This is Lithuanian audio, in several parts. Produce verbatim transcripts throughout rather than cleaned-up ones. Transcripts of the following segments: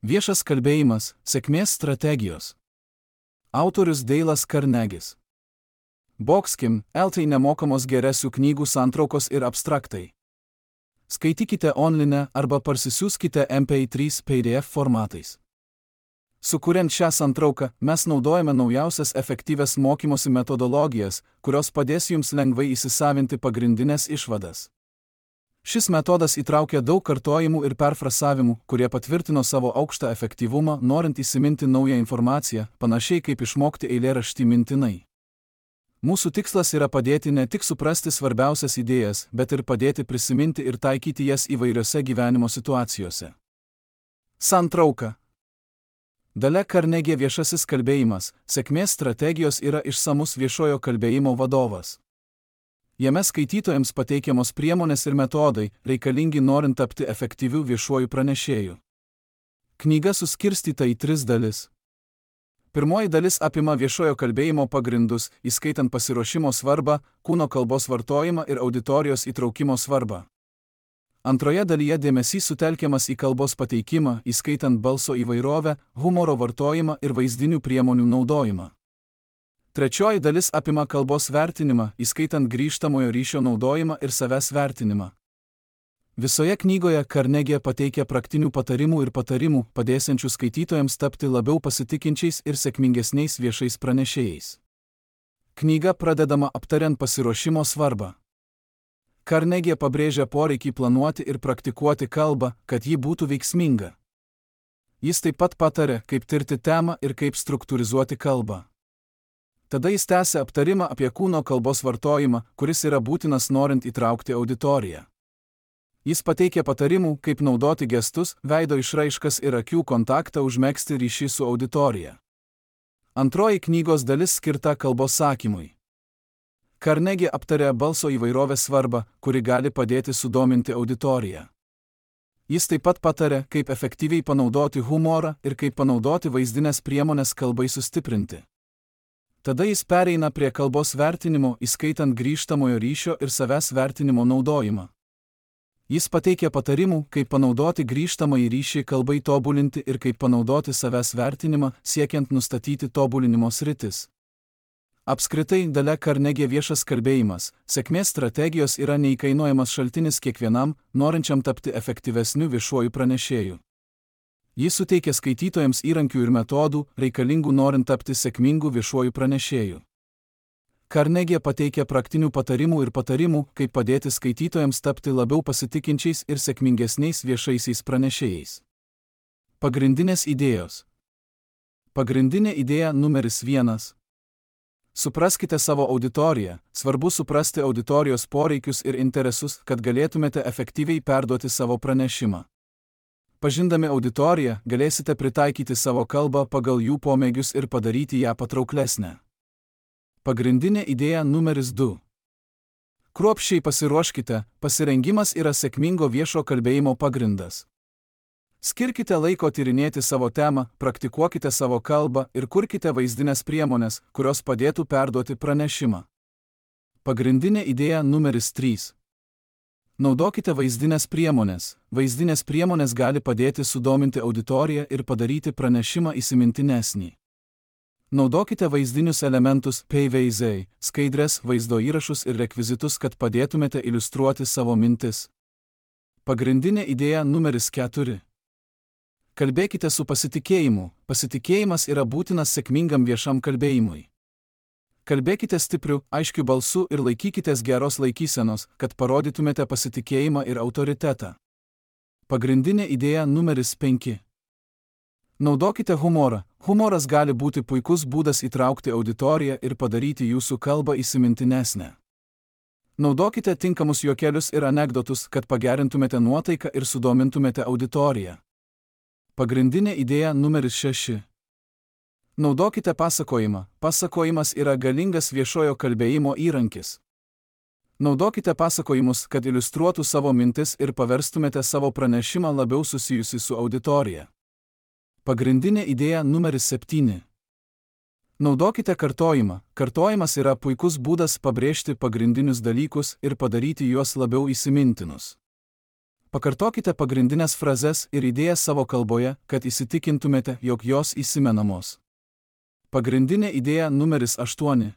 Viešas kalbėjimas – sėkmės strategijos. Autorius Deilas Karnegis. Boxkim, eltai nemokamos geresių knygų santraukos ir abstraktai. Skaitykite online arba parsisiųskite M P trys P D F formatais. Sukuriant šią santrauką, mes naudojame naujausias efektyvias mokymosi metodologijas, kurios padės jums lengvai įsisavinti pagrindinės išvadas. Šis metodas įtraukia daug kartojimų ir perfrasavimų, kurie patvirtino savo aukštą efektyvumą, norint įsiminti naują informaciją, panašiai kaip išmokti eilėraštį mintinai. Mūsų tikslas yra padėti ne tik suprasti svarbiausias idėjas, bet ir padėti prisiminti ir taikyti jas įvairiose gyvenimo situacijose. Santrauka. Dalia Karnegė viešasis kalbėjimas – sėkmės strategijos yra išsamus viešojo kalbėjimo vadovas. Jame skaitytojams pateikiamos priemonės ir metodai, reikalingi norint tapti efektyviu viešuoju pranešėju. Knyga suskirstyta į tris dalis. Pirmoji dalis apima viešojo kalbėjimo pagrindus, įskaitant pasiruošimo svarbą, kūno kalbos vartojimą ir auditorijos įtraukimo svarbą. Antroje dalyje dėmesys sutelkiamas į kalbos pateikimą, įskaitant balso įvairovę, humoro vartojimą ir vaizdinių priemonių naudojimą. Trečioji dalis apima kalbos vertinimą, įskaitant grįžtamojo ryšio naudojimą ir savęs vertinimą. Visoje knygoje Karnegė pateikia praktinių patarimų ir patarimų, padėsiančių skaitytojams tapti labiau pasitikinčiais ir sėkmingesniais viešais pranešėjais. Knyga pradedama aptariant pasiruošimo svarbą. Karnegė pabrėžia poreikį planuoti ir praktikuoti kalbą, kad ji būtų veiksminga. Jis taip pat patarė, kaip tirti temą ir kaip struktūrizuoti kalbą. Tada jis tęsia aptarimą apie kūno kalbos vartojimą, kuris yra būtinas norint įtraukti auditoriją. Jis pateikia patarimų, kaip naudoti gestus, veido išraiškas ir akių kontaktą užmegzti ryšį su auditorija. Antroji knygos dalis skirta kalbos sakymui. Karnegė aptarė balso įvairovės svarbą, kuri gali padėti sudominti auditoriją. Jis taip pat patarė, kaip efektyviai panaudoti humorą ir kaip panaudoti vaizdinės priemonės kalbai sustiprinti. Tada jis pereina prie kalbos vertinimo, įskaitant grįžtamojo ryšio ir savęs vertinimo naudojimą. Jis pateikia patarimų, kaip panaudoti grįžtamąjį ryšį kalbai tobulinti ir kaip panaudoti savęs vertinimą, siekiant nustatyti tobulinimo sritis. Apskritai, Dalia Karnegė viešas kalbėjimas, sėkmės strategijos yra neįkainojamas šaltinis kiekvienam, norinčiam tapti efektyvesniu viešuoju pranešėju. Jis suteikia skaitytojams įrankių ir metodų, reikalingų norint tapti sėkmingu viešuoju pranešėju. Karnegė pateikia praktinių patarimų ir patarimų, kaip padėti skaitytojams tapti labiau pasitikinčiais ir sėkmingesniais viešaisiais pranešėjais. Pagrindinės idėjos. Pagrindinė idėja numeris vienas. Supraskite savo auditoriją, svarbu suprasti auditorijos poreikius ir interesus, kad galėtumėte efektyviai perduoti savo pranešimą. Pažindami auditoriją, galėsite pritaikyti savo kalbą pagal jų pomėgius ir padaryti ją patrauklesnę. Pagrindinė idėja numeris du. Kruopščiai pasiruoškite, pasirengimas yra sėkmingo viešo kalbėjimo pagrindas. Skirkite laiko tyrinėti savo temą, praktikuokite savo kalbą ir kurkite vaizdinės priemonės, kurios padėtų perduoti pranešimą. Pagrindinė idėja numeris trys. Naudokite vaizdinės priemonės. Vaizdinės priemonės gali padėti sudominti auditoriją ir padaryti pranešimą įsimintinesnį. Naudokite vaizdinius elementus, paveizdai, skaidres, vaizdo įrašus ir rekvizitus, kad padėtumėte iliustruoti savo mintis. Pagrindinė idėja numeris keturi. Kalbėkite su pasitikėjimu. Pasitikėjimas yra būtinas sėkmingam viešam kalbėjimui. Kalbėkite stipriu, aiškiu balsu ir laikykitės geros laikysenos, kad parodytumėte pasitikėjimą ir autoritetą. Pagrindinė idėja numeris penki. Naudokite humorą. Humoras gali būti puikus būdas įtraukti auditoriją ir padaryti jūsų kalbą įsimintinesnę. Naudokite tinkamus juokelius ir anekdotus, kad pagerintumėte nuotaiką ir sudomintumėte auditoriją. Pagrindinė idėja numeris šeši. Naudokite pasakojimą. Pasakojimas yra galingas viešojo kalbėjimo įrankis. Naudokite pasakojimus, kad iliustruotų savo mintis ir paverstumėte savo pranešimą labiau susijusi su auditorija. Pagrindinė idėja numeris septyni. Naudokite kartojimą. Kartojimas yra puikus būdas pabrėžti pagrindinius dalykus ir padaryti juos labiau įsimintinus. Pakartokite pagrindinės frazes ir idėjas savo kalboje, kad įsitikintumėte, jog jos įsimenamos. Pagrindinė idėja numeris aštuoni.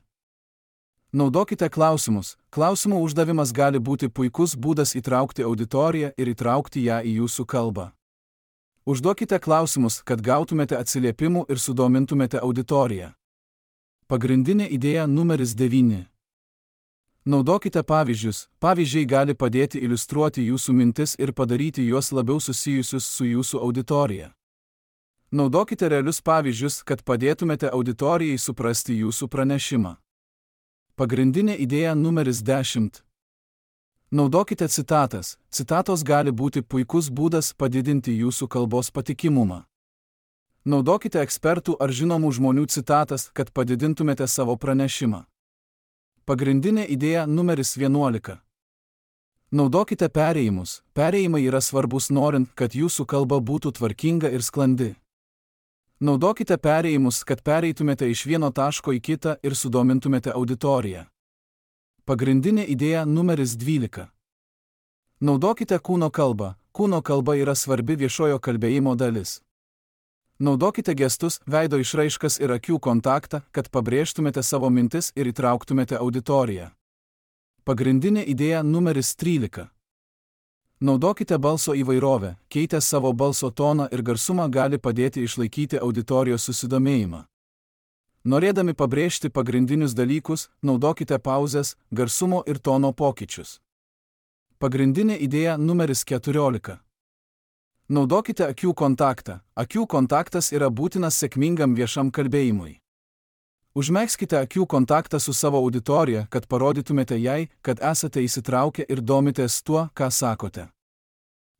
Naudokite klausimus. Klausimų uždavimas gali būti puikus būdas įtraukti auditoriją ir įtraukti ją į jūsų kalbą. Užduokite klausimus, kad gautumėte atsiliepimų ir sudomintumėte auditoriją. Pagrindinė idėja numeris devyni. Naudokite pavyzdžius. Pavyzdžiai gali padėti iliustruoti jūsų mintis ir padaryti juos labiau susijusius su jūsų auditorija. Naudokite realius pavyzdžius, kad padėtumėte auditorijai suprasti jūsų pranešimą. Pagrindinė idėja numeris dešimt. Naudokite citatas. Citatos gali būti puikus būdas padidinti jūsų kalbos patikimumą. Naudokite ekspertų ar žinomų žmonių citatas, kad padidintumėte savo pranešimą. Pagrindinė idėja numeris vienuolika. Naudokite perėjimus. Perėjimai yra svarbus norint, kad jūsų kalba būtų tvarkinga ir sklandi. Naudokite perėjimus, kad pereitumėte iš vieno taško į kitą ir sudomintumėte auditoriją. Pagrindinė idėja numeris dvylika. Naudokite kūno kalbą. Kūno kalba yra svarbi viešojo kalbėjimo dalis. Naudokite gestus, veido išraiškas ir akių kontaktą, kad pabrėžtumėte savo mintis ir įtrauktumėte auditoriją. Pagrindinė idėja numeris trylika. Naudokite balso įvairovę. Keitę savo balso toną ir garsumą gali padėti išlaikyti auditorijos susidomėjimą. Norėdami pabrėžti pagrindinius dalykus, naudokite pauzes, garsumo ir tono pokyčius. Pagrindinė idėja numeris keturiolika. Naudokite akių kontaktą. Akių kontaktas yra būtinas sėkmingam viešam kalbėjimui. Užmegzkite akių kontaktą su savo auditorija, kad parodytumėte jai, kad esate įsitraukę ir domitės tuo, ką sakote.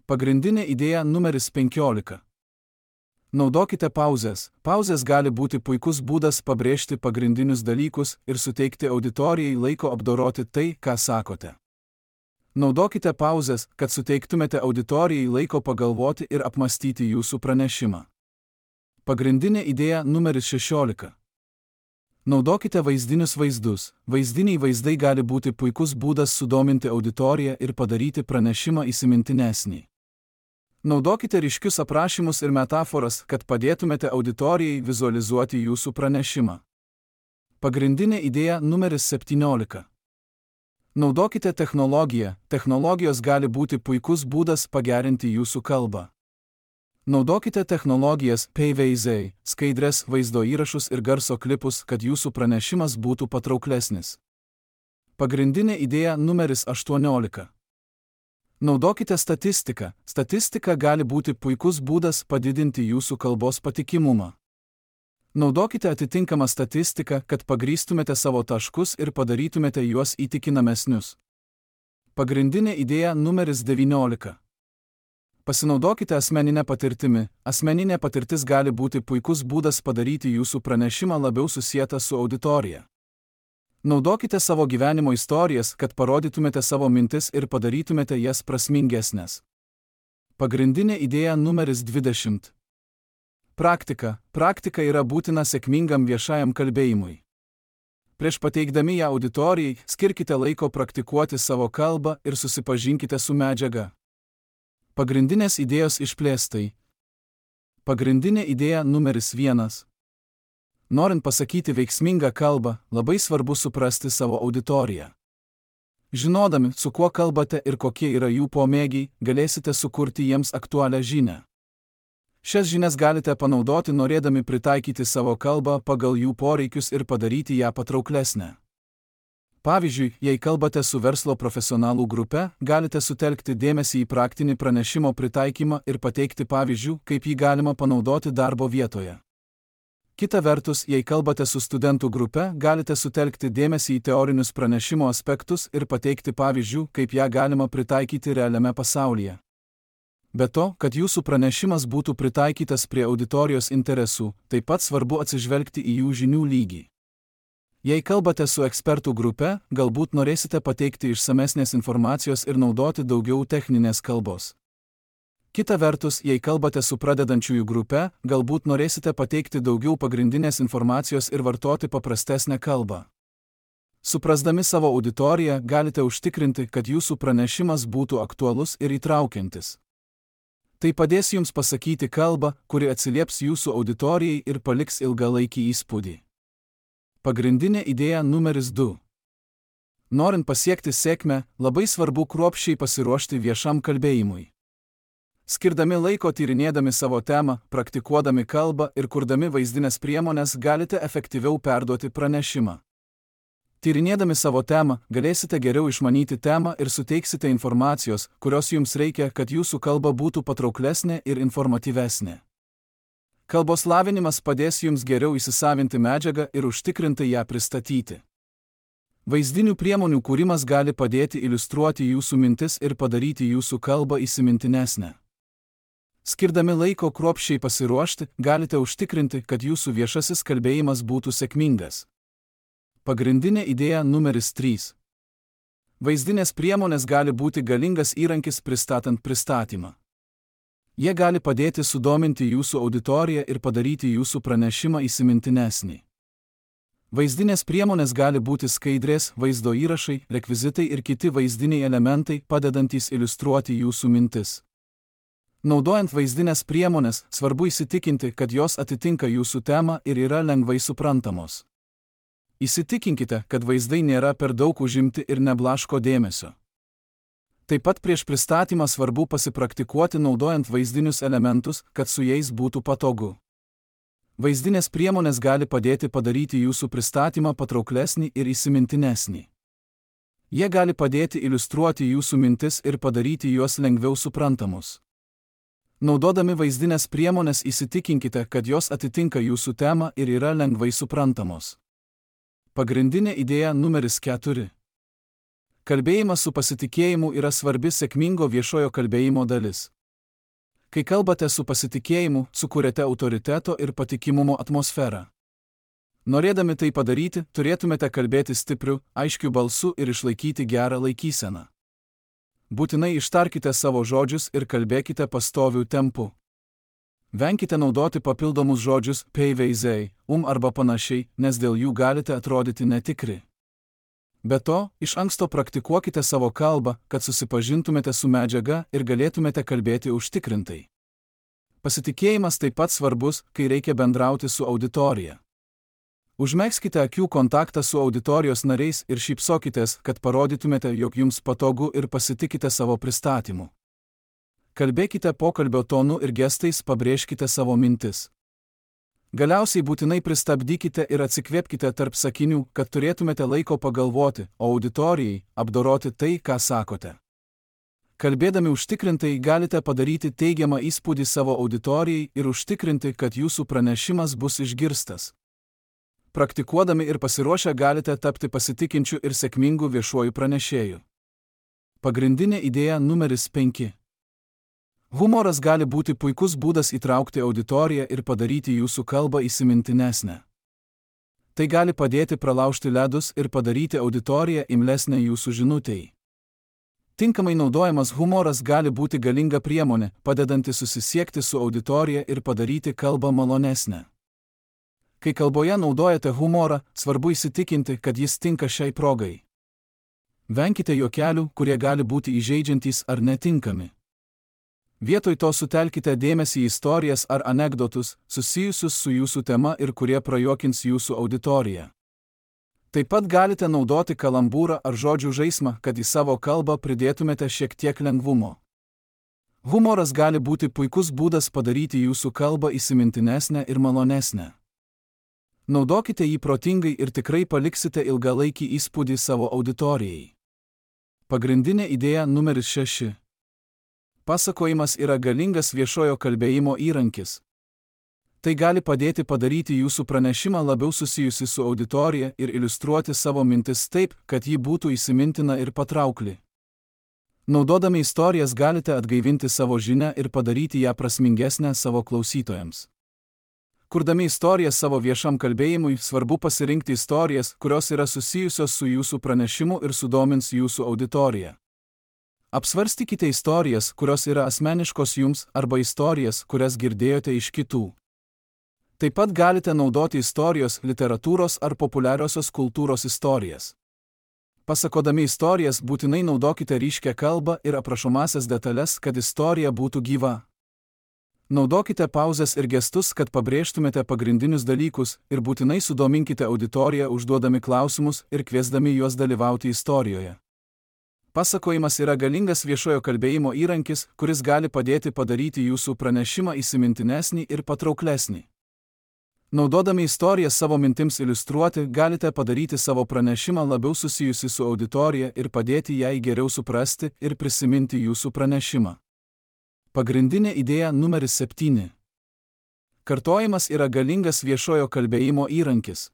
Pagrindinė idėja numeris penkiolika. Naudokite pauzes. Pauzės gali būti puikus būdas pabrėžti pagrindinius dalykus ir suteikti auditorijai laiko apdoroti tai, ką sakote. Naudokite pauzes, kad suteiktumėte auditorijai laiko pagalvoti ir apmastyti jūsų pranešimą. Pagrindinė idėja numeris šešiolika. Naudokite vaizdinius vaizdus. Vaizdiniai vaizdai gali būti puikus būdas sudominti auditoriją ir padaryti pranešimą įsimintinesnį. Naudokite ryškius aprašymus ir metaforas, kad padėtumėte auditorijai vizualizuoti jūsų pranešimą. Pagrindinė idėja numeris septyniolika. Naudokite technologiją. Technologijos gali būti puikus būdas pagerinti jūsų kalbą. Naudokite technologijas, paveizdai, skaidres, vaizdo įrašus ir garso klipus, kad jūsų pranešimas būtų patrauklesnis. Pagrindinė idėja numeris aštuoniolika. Naudokite statistiką. Statistika gali būti puikus būdas padidinti jūsų kalbos patikimumą. Naudokite atitinkamą statistiką, kad pagrįstumėte savo taškus ir padarytumėte juos įtikinamesnius. Pagrindinė idėja numeris devyniolika. Pasinaudokite asmeninę patirtimi. Asmeninė patirtis gali būti puikus būdas padaryti jūsų pranešimą labiau susietą su auditorija. Naudokite savo gyvenimo istorijas, kad parodytumėte savo mintis ir padarytumėte jas prasmingesnės. Pagrindinė idėja numeris dvidešimt. Praktika. Praktika yra būtina sėkmingam viešajam kalbėjimui. Prieš pateikdami ją auditorijai, skirkite laiko praktikuoti savo kalbą ir susipažinkite su medžiaga. Pagrindinės idėjos išplėstai. Pagrindinė idėja numeris vienas. Norint pasakyti veiksmingą kalbą, labai svarbu suprasti savo auditoriją. Žinodami, su kuo kalbate ir kokie yra jų pomėgiai, galėsite sukurti jiems aktualią žinią. Šias žinias galite panaudoti norėdami pritaikyti savo kalbą pagal jų poreikius ir padaryti ją patrauklesnę. Pavyzdžiui, jei kalbate su verslo profesionalų grupe, galite sutelkti dėmesį į praktinį pranešimo pritaikymą ir pateikti pavyzdžių, kaip jį galima panaudoti darbo vietoje. Kita vertus, jei kalbate su studentų grupe, galite sutelkti dėmesį į teorinius pranešimo aspektus ir pateikti pavyzdžių, kaip ją galima pritaikyti realiame pasaulyje. Be to, kad jūsų pranešimas būtų pritaikytas prie auditorijos interesų, taip pat svarbu atsižvelgti į jų žinių lygį. Jei kalbate su ekspertų grupe, galbūt norėsite pateikti išsamesnės informacijos ir naudoti daugiau techninės kalbos. Kita vertus, jei kalbate su pradedančiųjų grupe, galbūt norėsite pateikti daugiau pagrindinės informacijos ir vartoti paprastesnę kalbą. Suprasdami savo auditoriją, galite užtikrinti, kad jūsų pranešimas būtų aktualus ir įtraukiantis. Tai padės jums pasakyti kalbą, kuri atsilieps jūsų auditorijai ir paliks ilgalaikį įspūdį. Pagrindinė idėja numeris du. Norint pasiekti sėkmę, labai svarbu kruopščiai pasiruošti viešam kalbėjimui. Skirdami laiko tyrinėdami savo temą, praktikuodami kalbą ir kurdami vaizdinės priemones galite efektyviau perduoti pranešimą. Tyrinėdami savo temą, galėsite geriau išmanyti temą ir suteiksite informacijos, kurios jums reikia, kad jūsų kalba būtų patrauklesnė ir informatyvesnė. Kalbos lavinimas padės jums geriau įsisavinti medžiagą ir užtikrintai ją pristatyti. Vaizdinių priemonių kūrimas gali padėti iliustruoti jūsų mintis ir padaryti jūsų kalbą įsimintinesnę. Skirdami laiko kruopščiai pasiruošti, galite užtikrinti, kad jūsų viešasis kalbėjimas būtų sėkmingas. Pagrindinė idėja numeris trys. Vaizdinės priemonės gali būti galingas įrankis pristatant pristatymą. Jie gali padėti sudominti jūsų auditoriją ir padaryti jūsų pranešimą įsimintinesnį. Vaizdinės priemonės gali būti skaidrės, vaizdo įrašai, rekvizitai ir kiti vaizdiniai elementai, padedantys iliustruoti jūsų mintis. Naudojant vaizdinės priemonės, svarbu įsitikinti, kad jos atitinka jūsų temą ir yra lengvai suprantamos. Įsitikinkite, kad vaizdai nėra per daug užimti ir neblaško dėmesio. Taip pat prieš pristatymą svarbu pasipraktikuoti naudojant vaizdinius elementus, kad su jais būtų patogu. Vaizdinės priemonės gali padėti padaryti jūsų pristatymą patrauklesnį ir įsimintinesnį. Jie gali padėti iliustruoti jūsų mintis ir padaryti juos lengviau suprantamus. Naudodami vaizdinės priemonės įsitikinkite, kad jos atitinka jūsų temą ir yra lengvai suprantamos. Pagrindinė idėja numeris keturi. Kalbėjimas su pasitikėjimu yra svarbi sėkmingo viešojo kalbėjimo dalis. Kai kalbate su pasitikėjimu, sukuriate autoriteto ir patikimumo atmosferą. Norėdami tai padaryti, turėtumėte kalbėti stipriu, aiškiu balsu ir išlaikyti gerą laikyseną. Būtinai ištarkite savo žodžius ir kalbėkite pastoviu tempu. Venkite naudoti papildomus žodžius peiveizei, um arba panašiai, nes dėl jų galite atrodyti netikri. Be to, iš anksto praktikuokite savo kalbą, kad susipažintumėte su medžiaga ir galėtumėte kalbėti užtikrintai. Pasitikėjimas taip pat svarbus, kai reikia bendrauti su auditorija. Užmegzkite akių kontaktą su auditorijos nariais ir šypsokitės, kad parodytumėte, jog jums patogu ir pasitikite savo pristatymu. Kalbėkite pokalbio tonu ir gestais, pabrėžkite savo mintis. Galiausiai būtinai pristabdykite ir atsikvėpkite tarp sakinių, kad turėtumėte laiko pagalvoti, o auditorijai apdoroti tai, ką sakote. Kalbėdami užtikrintai galite padaryti teigiamą įspūdį savo auditorijai ir užtikrinti, kad jūsų pranešimas bus išgirstas. Praktikuodami ir pasiruošę galite tapti pasitikinčiu ir sėkmingu viešuoju pranešėju. Pagrindinė idėja numeris penki. Humoras gali būti puikus būdas įtraukti auditoriją ir padaryti jūsų kalbą įsimintinesnę. Tai gali padėti pralaužti ledus ir padaryti auditoriją imlesnę jūsų žinutei. Tinkamai naudojamas humoras gali būti galinga priemonė, padedanti susisiekti su auditorija ir padaryti kalbą malonesnę. Kai kalboje naudojate humorą, svarbu įsitikinti, kad jis tinka šiai progai. Venkite juokelių, kurie gali būti įžeidžiantys ar netinkami. Vietoj to sutelkite dėmesį į istorijas ar anekdotus, susijusius su jūsų tema ir kurie prajuokins jūsų auditoriją. Taip pat galite naudoti kalambūrą ar žodžių žaismą, kad į savo kalbą pridėtumėte šiek tiek lengvumo. Humoras gali būti puikus būdas padaryti jūsų kalbą įsimintinesnę ir malonesnę. Naudokite jį protingai ir tikrai paliksite ilgalaikį įspūdį savo auditorijai. Pagrindinė idėja numeris šeši. Pasakojimas yra galingas viešojo kalbėjimo įrankis. Tai gali padėti padaryti jūsų pranešimą labiau susijusi su auditorija ir iliustruoti savo mintis taip, kad ji būtų įsimintina ir patraukli. Naudodami istorijas galite atgaivinti savo žinią ir padaryti ją prasmingesnę savo klausytojams. Kurdami istorijas savo viešam kalbėjimui, svarbu pasirinkti istorijas, kurios yra susijusios su jūsų pranešimu ir sudomins jūsų auditoriją. Apsvarstykite istorijas, kurios yra asmeniškos jums, arba istorijas, kurias girdėjote iš kitų. Taip pat galite naudoti istorijos, literatūros ar populiariosios kultūros istorijas. Pasakodami istorijas būtinai naudokite ryškią kalbą ir aprašomasias detalės, kad istorija būtų gyva. Naudokite pauzes ir gestus, kad pabrėžtumėte pagrindinius dalykus, ir būtinai sudominkite auditoriją užduodami klausimus ir kviesdami juos dalyvauti istorijoje. Pasakojimas yra galingas viešojo kalbėjimo įrankis, kuris gali padėti padaryti jūsų pranešimą įsimintinesnį ir patrauklesnį. Naudodami istoriją savo mintims iliustruoti, galite padaryti savo pranešimą labiau susijusi su auditorija ir padėti jai geriau suprasti ir prisiminti jūsų pranešimą. Pagrindinė idėja numeris septyni. Kartojimas yra galingas viešojo kalbėjimo įrankis.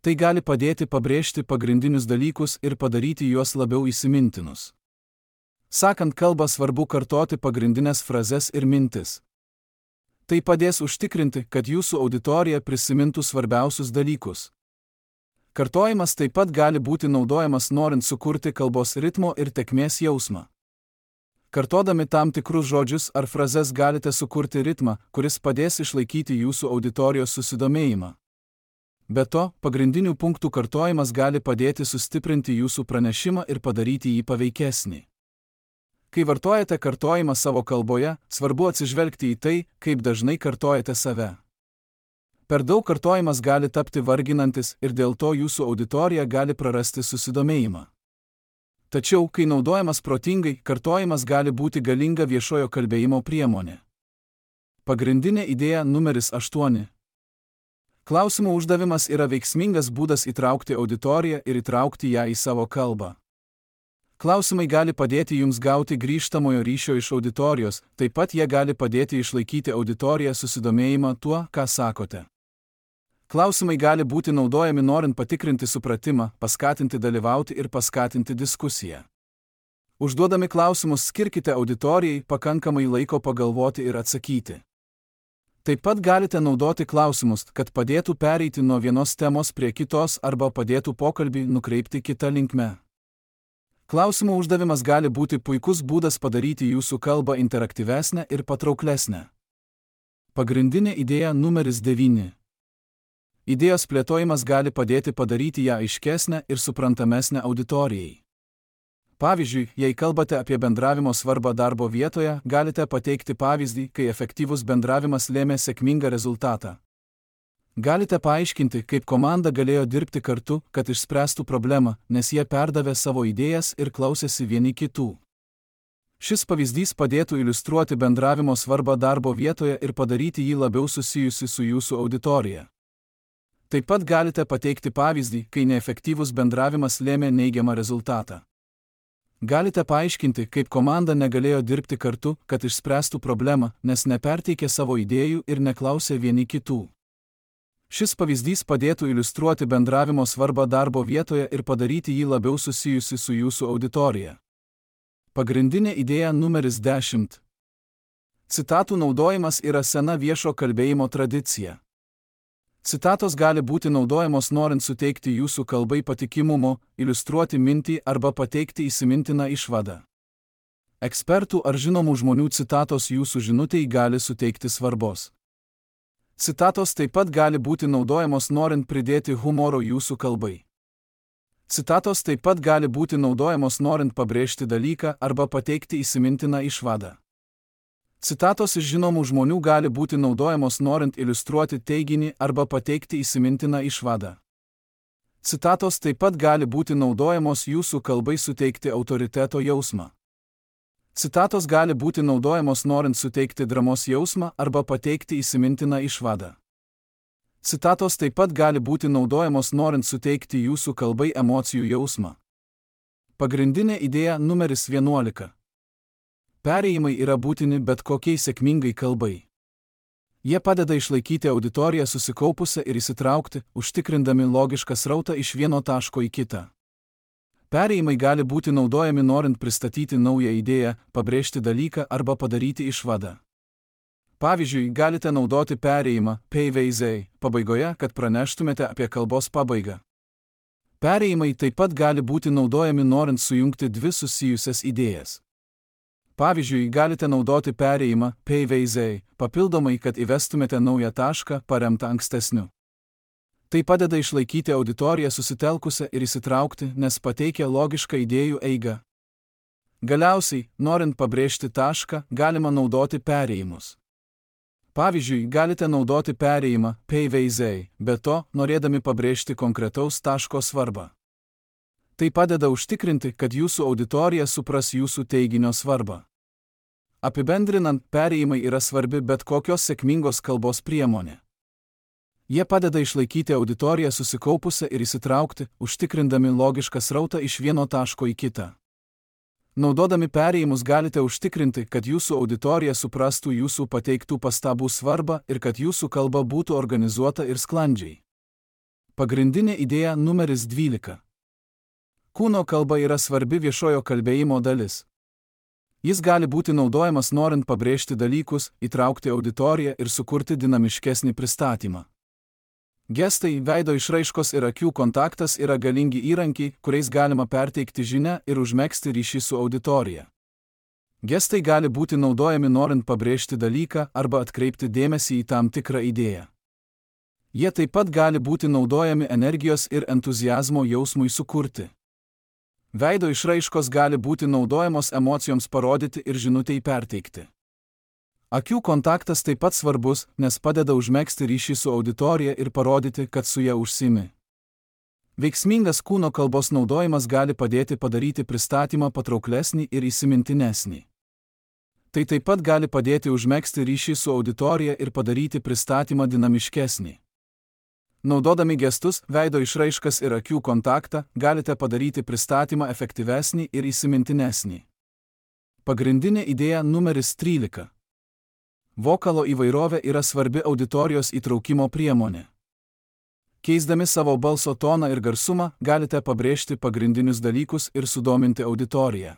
Tai gali padėti pabrėžti pagrindinius dalykus ir padaryti juos labiau įsimintinus. Sakant kalbą, svarbu kartoti pagrindinės frazes ir mintis. Tai padės užtikrinti, kad jūsų auditorija prisimintų svarbiausius dalykus. Kartojimas taip pat gali būti naudojamas norint sukurti kalbos ritmo ir tėkmės jausmą. Kartodami tam tikrus žodžius ar frazes galite sukurti ritmą, kuris padės išlaikyti jūsų auditorijos susidomėjimą. Be to, pagrindinių punktų kartojimas gali padėti sustiprinti jūsų pranešimą ir padaryti jį paveikesnį. Kai vartojate kartojimą savo kalboje, svarbu atsižvelgti į tai, kaip dažnai kartojate save. Per daug kartojimas gali tapti varginantis ir dėl to jūsų auditorija gali prarasti susidomėjimą. Tačiau, kai naudojamas protingai, kartojimas gali būti galinga viešojo kalbėjimo priemonė. Pagrindinė idėja numeris aštuoni. Klausimų uždavimas yra veiksmingas būdas įtraukti auditoriją ir įtraukti ją į savo kalbą. Klausimai gali padėti jums gauti grįžtamojo ryšio iš auditorijos, taip pat jie gali padėti išlaikyti auditoriją susidomėjimą tuo, ką sakote. Klausimai gali būti naudojami norint patikrinti supratimą, paskatinti dalyvauti ir paskatinti diskusiją. Užduodami klausimus skirkite auditorijai pakankamai laiko pagalvoti ir atsakyti. Taip pat galite naudoti klausimus, kad padėtų pereiti nuo vienos temos prie kitos arba padėtų pokalbį nukreipti kitą linkme. Klausimų uždavimas gali būti puikus būdas padaryti jūsų kalbą interaktyvesnę ir patrauklesnę. Pagrindinė idėja numeris devyni. Idėjos plėtojimas gali padėti padaryti ją aiškesnę ir suprantamesnę auditorijai. Pavyzdžiui, jei kalbate apie bendravimo svarbą darbo vietoje, galite pateikti pavyzdį, kai efektyvus bendravimas lėmė sėkmingą rezultatą. Galite paaiškinti, kaip komanda galėjo dirbti kartu, kad išspręstų problemą, nes jie perdavė savo idėjas ir klausėsi vieni kitų. Šis pavyzdys padėtų iliustruoti bendravimo svarbą darbo vietoje ir padaryti jį labiau susijusi su jūsų auditorija. Taip pat galite pateikti pavyzdį, kai neefektyvus bendravimas lėmė neigiamą rezultatą. Galite paaiškinti, kaip komanda negalėjo dirbti kartu, kad išspręstų problemą, nes neperteikė savo idėjų ir neklausė vieni kitų. Šis pavyzdys padėtų iliustruoti bendravimo svarbą darbo vietoje ir padaryti jį labiau susijusi su jūsų auditorija. Pagrindinė idėja numeris dešimt. Citatų naudojimas yra sena viešo kalbėjimo tradicija. Citatos gali būti naudojamos norint suteikti jūsų kalbai patikimumo, iliustruoti mintį arba pateikti įsimintiną išvadą. Ekspertų ar žinomų žmonių citatos jūsų žinutei gali suteikti svarbos. Citatos taip pat gali būti naudojamos norint pridėti humoro jūsų kalbai. Citatos taip pat gali būti naudojamos norint pabrėžti dalyką arba pateikti įsimintiną išvadą. Citatos iš žinomų žmonių gali būti naudojamos norint iliustruoti teiginį arba pateikti įsimintiną išvadą. Citatos taip pat gali būti naudojamos jūsų kalbai suteikti autoriteto jausmą. Citatos gali būti naudojamos norint suteikti dramos jausmą arba pateikti įsimintiną išvadą. Citatos taip pat gali būti naudojamos norint suteikti jūsų kalbai emocijų jausmą. Pagrindinė idėja numeris vienuolika. Perėjimai yra būtini bet kokiai sėkmingai kalbai. Jie padeda išlaikyti auditoriją susikaupusią ir įsitraukti, užtikrindami logišką srautą iš vieno taško į kitą. Perėjimai gali būti naudojami norint pristatyti naują idėją, pabrėžti dalyką arba padaryti išvadą. Pavyzdžiui, galite naudoti perėjimą peiveizei pabaigoje, kad praneštumėte apie kalbos pabaigą. Perėjimai taip pat gali būti naudojami norint sujungti dvi susijusias idėjas. Pavyzdžiui, galite naudoti perėjimą peiveizei papildomai, kad įvestumėte naują tašką paremtą ankstesniu. Tai padeda išlaikyti auditoriją susitelkusią ir įsitraukti, nes pateikia logišką idėjų eigą. Galiausiai, norint pabrėžti tašką, galima naudoti perėjimus. Pavyzdžiui, galite naudoti perėjimą peiveizei, be to, norėdami pabrėžti konkretaus taško svarbą. Tai padeda užtikrinti, kad jūsų auditorija supras jūsų teiginio svarbą. Apibendrinant, perėjimai yra svarbi bet kokios sėkmingos kalbos priemonė. Jie padeda išlaikyti auditoriją susikaupusią ir įsitraukti, užtikrindami logišką srautą iš vieno taško į kitą. Naudodami perėjimus galite užtikrinti, kad jūsų auditorija suprastų jūsų pateiktų pastabų svarbą ir kad jūsų kalba būtų organizuota ir sklandžiai. Pagrindinė idėja numeris dvylika. Kūno kalba yra svarbi viešojo kalbėjimo dalis. Jis gali būti naudojamas norint pabrėžti dalykus, įtraukti auditoriją ir sukurti dinamiškesnį pristatymą. Gestai, veido išraiškos ir akių kontaktas yra galingi įrankiai, kuriais galima perteikti žinią ir užmegzti ryšį su auditorija. Gestai gali būti naudojami norint pabrėžti dalyką arba atkreipti dėmesį į tam tikrą idėją. Jie taip pat gali būti naudojami energijos ir entuziazmo jausmui sukurti. Veido išraiškos gali būti naudojamos emocijoms parodyti ir žinutei perteikti. Akių kontaktas taip pat svarbus, nes padeda užmegzti ryšį su auditorija ir parodyti, kad su ja užsiimi. Veiksmingas kūno kalbos naudojimas gali padėti padaryti pristatymą patrauklesnį ir įsimintinesnį. Tai taip pat gali padėti užmegzti ryšį su auditorija ir padaryti pristatymą dinamiškesnį. Naudodami gestus, veido išraiškas ir akių kontaktą, galite padaryti pristatymą efektyvesnį ir įsimintinesnį. Pagrindinė idėja numeris trylika. Vokalo įvairovė yra svarbi auditorijos įtraukimo priemonė. Keisdami savo balso toną ir garsumą, galite pabrėžti pagrindinius dalykus ir sudominti auditoriją.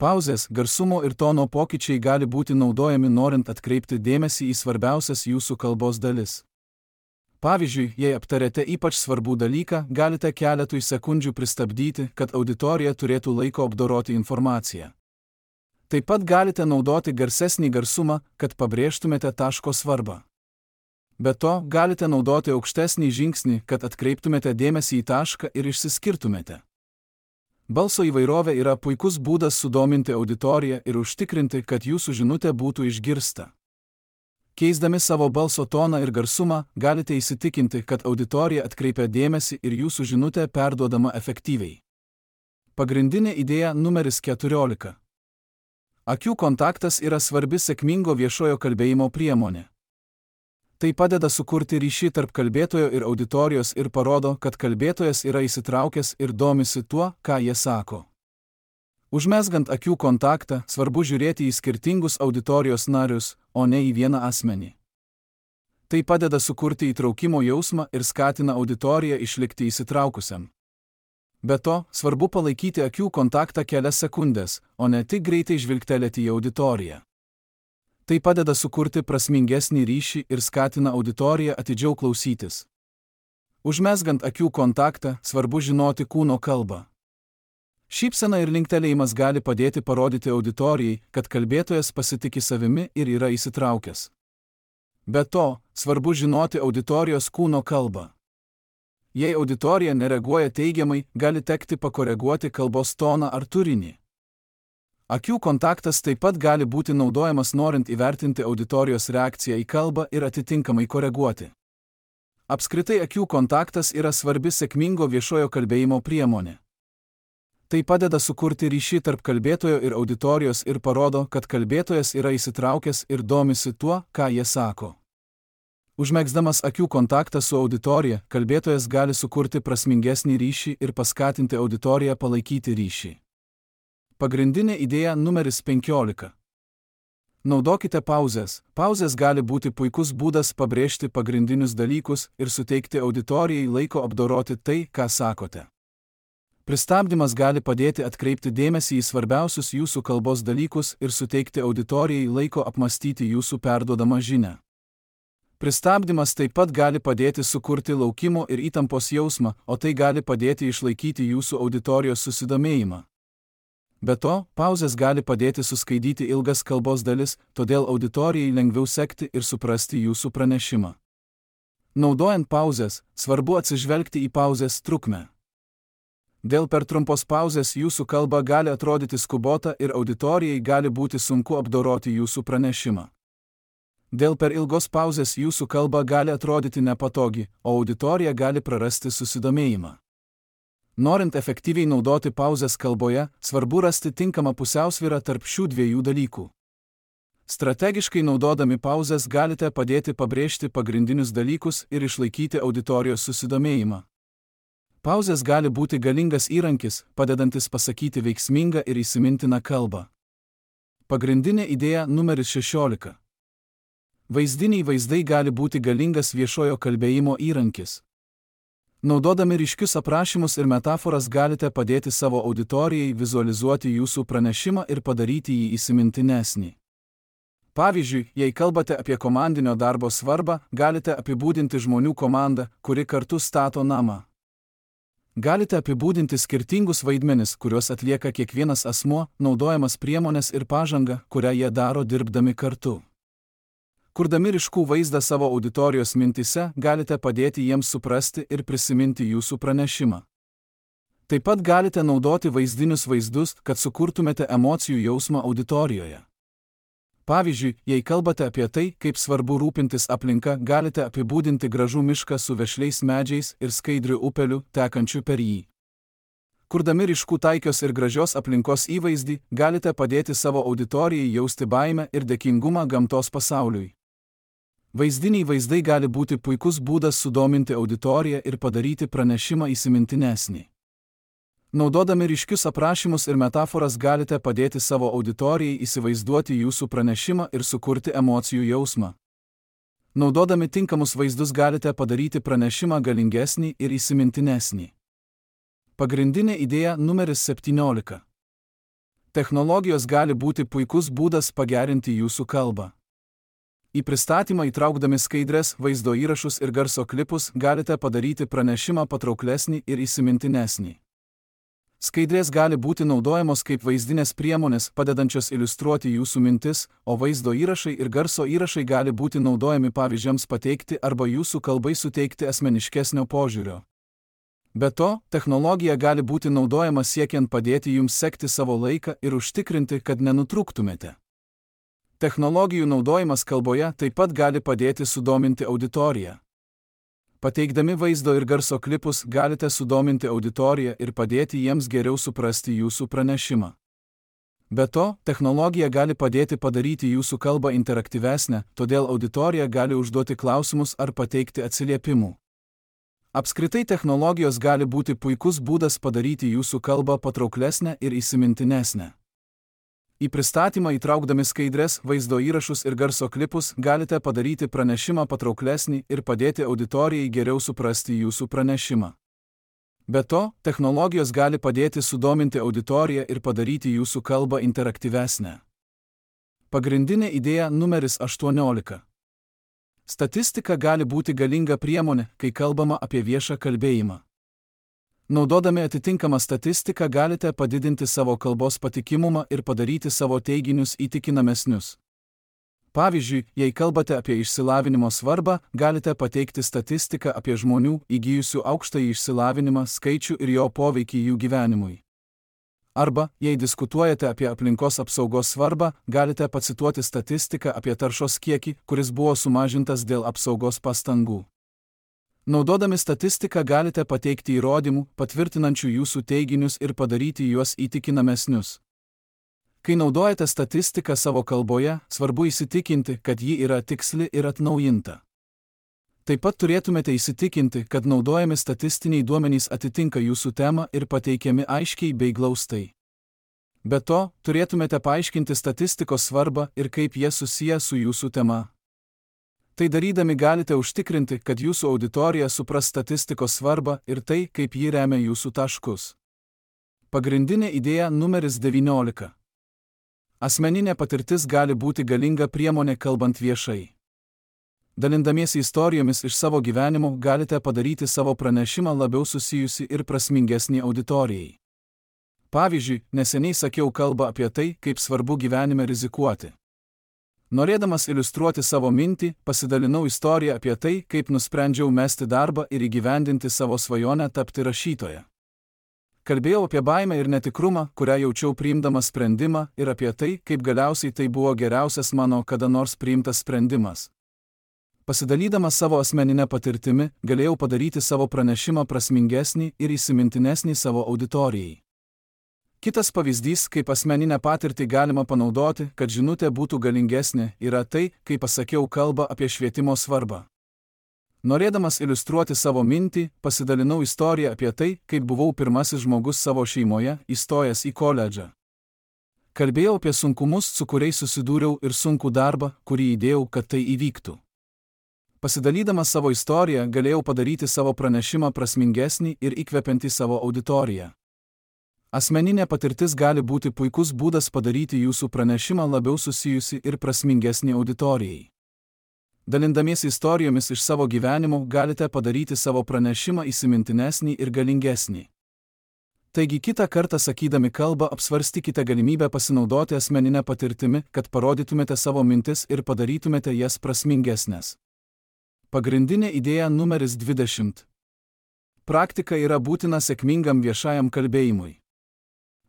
Pauzės, garsumo ir tono pokyčiai gali būti naudojami norint atkreipti dėmesį į svarbiausias jūsų kalbos dalis. Pavyzdžiui, jei aptarėte ypač svarbų dalyką, galite keletui sekundžių pristabdyti, kad auditorija turėtų laiko apdoroti informaciją. Taip pat galite naudoti garsesnį garsumą, kad pabrėžtumėte taško svarbą. Be to, galite naudoti aukštesnį žingsnį, kad atkreiptumėte dėmesį į tašką ir išsiskirtumėte. Balso įvairovė yra puikus būdas sudominti auditoriją ir užtikrinti, kad jūsų žinutė būtų išgirsta. Keisdami savo balso toną ir garsumą, galite įsitikinti, kad auditorija atkreipia dėmesį ir jūsų žinutė perduodama efektyviai. Pagrindinė idėja numeris keturiolika. Akių kontaktas yra svarbi sėkmingo viešojo kalbėjimo priemonė. Tai padeda sukurti ryšį tarp kalbėtojo ir auditorijos ir parodo, kad kalbėtojas yra įsitraukęs ir domisi tuo, ką jie sako. Užmezgant akių kontaktą, svarbu žiūrėti į skirtingus auditorijos narius, o ne į vieną asmenį. Tai padeda sukurti įtraukimo jausmą ir skatina auditoriją išlikti įsitraukusiam. Be to, svarbu palaikyti akių kontaktą kelias sekundės, o ne tik greitai žvilgtelėti į auditoriją. Tai padeda sukurti prasmingesnį ryšį ir skatina auditoriją atidžiau klausytis. Užmezgant akių kontaktą, svarbu žinoti kūno kalbą. Šypsena ir linktelėjimas gali padėti parodyti auditorijai, kad kalbėtojas pasitiki savimi ir yra įsitraukęs. Be to, svarbu žinoti auditorijos kūno kalbą. Jei auditorija nereaguoja teigiamai, gali tekti pakoreguoti kalbos toną ar turinį. Akių kontaktas taip pat gali būti naudojamas norint įvertinti auditorijos reakciją į kalbą ir atitinkamai koreguoti. Apskritai akių kontaktas yra svarbi sėkmingo viešojo kalbėjimo priemonė. Tai padeda sukurti ryšį tarp kalbėtojo ir auditorijos ir parodo, kad kalbėtojas yra įsitraukęs ir domisi tuo, ką jie sako. Užmegzdamas akių kontaktą su auditorija, kalbėtojas gali sukurti prasmingesnį ryšį ir paskatinti auditoriją palaikyti ryšį. Pagrindinė idėja numeris penkiolika. Naudokite pauzes. Pauzės gali būti puikus būdas pabrėžti pagrindinius dalykus ir suteikti auditorijai laiko apdoroti tai, ką sakote. Pristabdymas gali padėti atkreipti dėmesį į svarbiausius jūsų kalbos dalykus ir suteikti auditorijai laiko apmastyti jūsų perduodamą žinią. Pristabdymas taip pat gali padėti sukurti laukimo ir įtampos jausmą, o tai gali padėti išlaikyti jūsų auditorijos susidomėjimą. Be to, pauzės gali padėti suskaidyti ilgas kalbos dalis, todėl auditorijai lengviau sekti ir suprasti jūsų pranešimą. Naudojant pauzes, svarbu atsižvelgti į pauzės trukmę. Dėl per trumpos pauzės jūsų kalba gali atrodyti skubota ir auditorijai gali būti sunku apdoroti jūsų pranešimą. Dėl per ilgos pauzės jūsų kalba gali atrodyti nepatogi, o auditorija gali prarasti susidomėjimą. Norint efektyviai naudoti pauzes kalboje, svarbu rasti tinkamą pusiausvyrą tarp šių dviejų dalykų. Strategiškai naudodami pauzes galite padėti pabrėžti pagrindinius dalykus ir išlaikyti auditorijos susidomėjimą. Pauzės gali būti galingas įrankis, padedantis pasakyti veiksmingą ir įsimintiną kalbą. Pagrindinė idėja numeris šešiolika. Vaizdiniai vaizdai gali būti galingas viešojo kalbėjimo įrankis. Naudodami ryškius aprašymus ir metaforas galite padėti savo auditorijai vizualizuoti jūsų pranešimą ir padaryti jį įsimintinesnį. Pavyzdžiui, jei kalbate apie komandinio darbo svarbą, galite apibūdinti žmonių komandą, kuri kartu stato namą. Galite apibūdinti skirtingus vaidmenis, kuriuos atlieka kiekvienas asmuo, naudojamas priemones ir pažangą, kurią jie daro dirbdami kartu. Kurdami ryškų vaizdą savo auditorijos mintise, galite padėti jiems suprasti ir prisiminti jūsų pranešimą. Taip pat galite naudoti vaizdinius vaizdus, kad sukurtumėte emocijų jausmą auditorijoje. Pavyzdžiui, jei kalbate apie tai, kaip svarbu rūpintis aplinka, galite apibūdinti gražų mišką su vešliais medžiais ir skaidriu upeliu, tekančiu per jį. Kurdami ryškų taikios ir gražios aplinkos įvaizdį, galite padėti savo auditorijai jausti baimę ir dėkingumą gamtos pasauliui. Vaizdiniai vaizdai gali būti puikus būdas sudominti auditoriją ir padaryti pranešimą įsimintinesnį. Naudodami ryškius aprašymus ir metaforas galite padėti savo auditorijai įsivaizduoti jūsų pranešimą ir sukurti emocijų jausmą. Naudodami tinkamus vaizdus galite padaryti pranešimą galingesnį ir įsimintinesnį. Pagrindinė idėja numeris septyniolika. Technologijos gali būti puikus būdas pagerinti jūsų kalbą. Į pristatymą įtraukdami skaidres, vaizdo įrašus ir garso klipus galite padaryti pranešimą patrauklesnį ir įsimintinesnį. Skaidrės gali būti naudojamos kaip vaizdinės priemonės, padedančios iliustruoti jūsų mintis, o vaizdo įrašai ir garso įrašai gali būti naudojami pavyzdžiams pateikti arba jūsų kalbai suteikti asmeniškesnio požiūrio. Be to, technologija gali būti naudojama siekiant padėti jums sekti savo laiką ir užtikrinti, kad nenutrūktumėte. Technologijų naudojimas kalboje taip pat gali padėti sudominti auditoriją. Pateikdami vaizdo ir garso klipus galite sudominti auditoriją ir padėti jiems geriau suprasti jūsų pranešimą. Be to, technologija gali padėti padaryti jūsų kalbą interaktyvesnę, todėl auditorija gali užduoti klausimus ar pateikti atsiliepimų. Apskritai technologijos gali būti puikus būdas padaryti jūsų kalbą patrauklesnę ir įsimintinesnę. Į pristatymą įtraukdami skaidres, vaizdo įrašus ir garso klipus galite padaryti pranešimą patrauklesnį ir padėti auditorijai geriau suprasti jūsų pranešimą. Be to, technologijos gali padėti sudominti auditoriją ir padaryti jūsų kalbą interaktyvesnę. Pagrindinė idėja numeris aštuoniolika. Statistika gali būti galinga priemonė, kai kalbama apie viešą kalbėjimą. Naudodami atitinkamą statistiką galite padidinti savo kalbos patikimumą ir padaryti savo teiginius įtikinamesnius. Pavyzdžiui, jei kalbate apie išsilavinimo svarbą, galite pateikti statistiką apie žmonių įgijusių aukštąjį išsilavinimą skaičių ir jo poveikį jų gyvenimui. Arba, jei diskutuojate apie aplinkos apsaugos svarbą, galite pacituoti statistiką apie taršos kiekį, kuris buvo sumažintas dėl apsaugos pastangų. Naudodami statistiką galite pateikti įrodymų, patvirtinančių jūsų teiginius ir padaryti juos įtikinamesnius. Kai naudojate statistiką savo kalboje, svarbu įsitikinti, kad ji yra tiksli ir atnaujinta. Taip pat turėtumėte įsitikinti, kad naudojami statistiniai duomenys atitinka jūsų temą ir pateikiami aiškiai bei glaustai. Be to, turėtumėte paaiškinti statistikos svarbą ir kaip jie susiję su jūsų tema. Tai darydami galite užtikrinti, kad jūsų auditorija supras statistikos svarbą ir tai, kaip ji remia jūsų taškus. Pagrindinė idėja numeris devyniolika. Asmeninė patirtis gali būti galinga priemonė kalbant viešai. Dalindamiesi istorijomis iš savo gyvenimo galite padaryti savo pranešimą labiau susijusi ir prasmingesnį auditorijai. Pavyzdžiui, neseniai sakiau kalbą apie tai, kaip svarbu gyvenime rizikuoti. Norėdamas iliustruoti savo mintį, pasidalinau istoriją apie tai, kaip nusprendžiau mesti darbą ir įgyvendinti savo svajonę tapti rašytoja. Kalbėjau apie baimę ir netikrumą, kurią jaučiau priimdamas sprendimą, ir apie tai, kaip galiausiai tai buvo geriausias mano kada nors priimtas sprendimas. Pasidalydamas savo asmeninę patirtimi, galėjau padaryti savo pranešimą prasmingesnį ir įsimintinesnį savo auditorijai. Kitas pavyzdys, kaip asmeninę patirtį galima panaudoti, kad žinutė būtų galingesnė, yra tai, kai pasakiau kalbą apie švietimo svarbą. Norėdamas iliustruoti savo mintį, pasidalinau istoriją apie tai, kaip buvau pirmasis žmogus savo šeimoje, įstojęs į koledžą. Kalbėjau apie sunkumus, su kuriais susidūriau, ir sunkų darbą, kurį įdėjau, kad tai įvyktų. Pasidalydamas savo istoriją, galėjau padaryti savo pranešimą prasmingesnį ir įkvepiantį savo auditoriją. Asmeninė patirtis gali būti puikus būdas padaryti jūsų pranešimą labiau susijusi ir prasmingesnį auditorijai. Dalindamiesi istorijomis iš savo gyvenimo, galite padaryti savo pranešimą įsimintinesnį ir galingesnį. Taigi kitą kartą sakydami kalbą apsvarstykite galimybę pasinaudoti asmeninę patirtimi, kad parodytumėte savo mintis ir padarytumėte jas prasmingesnės. Pagrindinė idėja numeris dvidešimt. Praktika yra būtina sėkmingam viešajam kalbėjimui.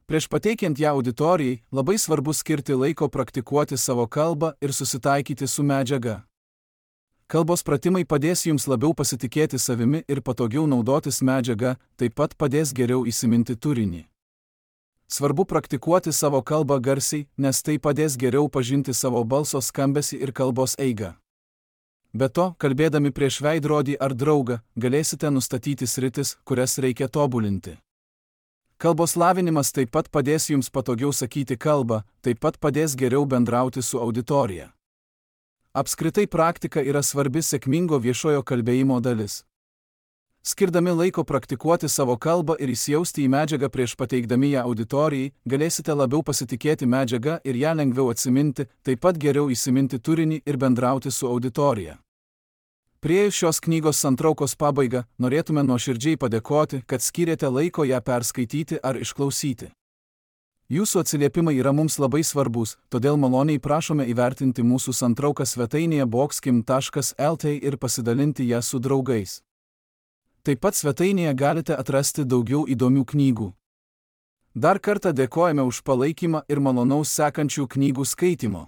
Prieš pateikiant ją auditorijai, labai svarbu skirti laiko praktikuoti savo kalbą ir susitaikyti su medžiaga. Kalbos pratimai padės jums labiau pasitikėti savimi ir patogiau naudotis medžiaga, taip pat padės geriau įsiminti turinį. Svarbu praktikuoti savo kalbą garsiai, nes tai padės geriau pažinti savo balso skambesį ir kalbos eigą. Be to, kalbėdami prieš veidrodį ar draugą, galėsite nustatyti sritis, kurias reikia tobulinti. Kalbos lavinimas taip pat padės jums patogiau sakyti kalbą, taip pat padės geriau bendrauti su auditorija. Apskritai praktika yra svarbi sėkmingo viešojo kalbėjimo dalis. Skirdami laiko praktikuoti savo kalbą ir įsijausti į medžiagą prieš pateikdami ją auditorijai, galėsite labiau pasitikėti medžiaga ir ją lengviau atsiminti, taip pat geriau įsiminti turinį ir bendrauti su auditorija. Priėjus šios knygos santraukos pabaigą, norėtume nuoširdžiai padėkoti, kad skyrėte laiko ją perskaityti ar išklausyti. Jūsų atsiliepimai yra mums labai svarbus, todėl maloniai prašome įvertinti mūsų santrauką svetainėje boxkim taškas el tė ir pasidalinti ją su draugais. Taip pat svetainėje galite atrasti daugiau įdomių knygų. Dar kartą dėkojame už palaikymą ir malonaus sekančių knygų skaitymo.